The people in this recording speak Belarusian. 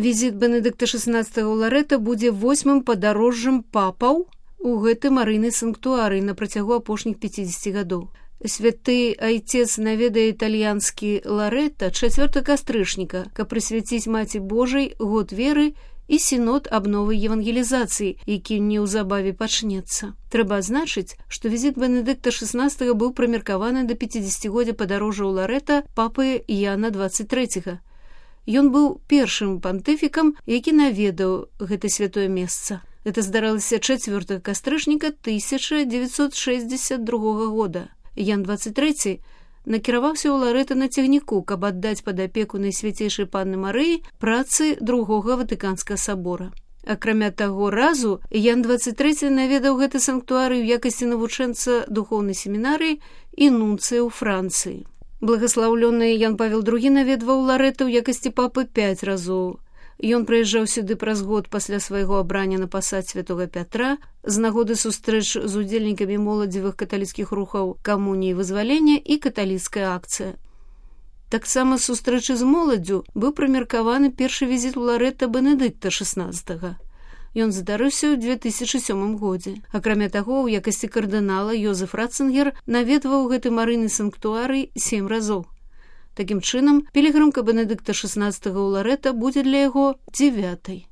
Візіт Бенедыкта XVI ў Ларэта будзе 8-м падарожжам папаў у гэты марыйны санктуарый на працягу апошніх 50 гадоў. Святы айцец наведае італьянскі Ларэта 4 кастрычніка, каб прысвяціць Маці Божай год веры і сінод абновы евангелізацыі, які неўзабаве пачнецца. Трэба адзначыць, што візіт Бенедыкта XVI быў прымеркаваны да 50-годдзя падарожжа ў Ларэта папы Яна 23. Ён быў першым пантыфікам, які наведаў гэта святое месца. Гэта здаралася 4 кастрычніка 1962 года. Ян 23 накіраваўся ў Ларэта на цягніку, каб аддаць пад апеку Найсвяцейшай Панны Марыі працы другога Ватыканскага сабора. Акрамя таго разу, Ян 23 наведаў гэты санктуарый у якасці навучэнца духоўнай семінарыі і нунцыя ў Францыі. Благаслаўлёны Ян Павел II наведваў Ларэта ў якасці папы 5 разоў. Ён прыязджаў сюды праз год пасля свайго абрання на пасад святога Пятра з нагоды сустрэч з удзельнікамі моладзевых каталіцкіх рухаў камуніі вызвалення і каталіцкая акцыя. Таксама з сустрэчы з моладдзю быў прымеркаваны першы візіт у Ларэта Бенедыкта XVI. Ён здарыўся ў 2007 годзе. Акрамя таго, у якасці кардынала Йозеф Ратцингер наведваў гэты марыйны санктуарый 7 разоў. Такім чынам, пілігрымка Бенедыкта XVI ў Ларэта будзе для яго 9-й.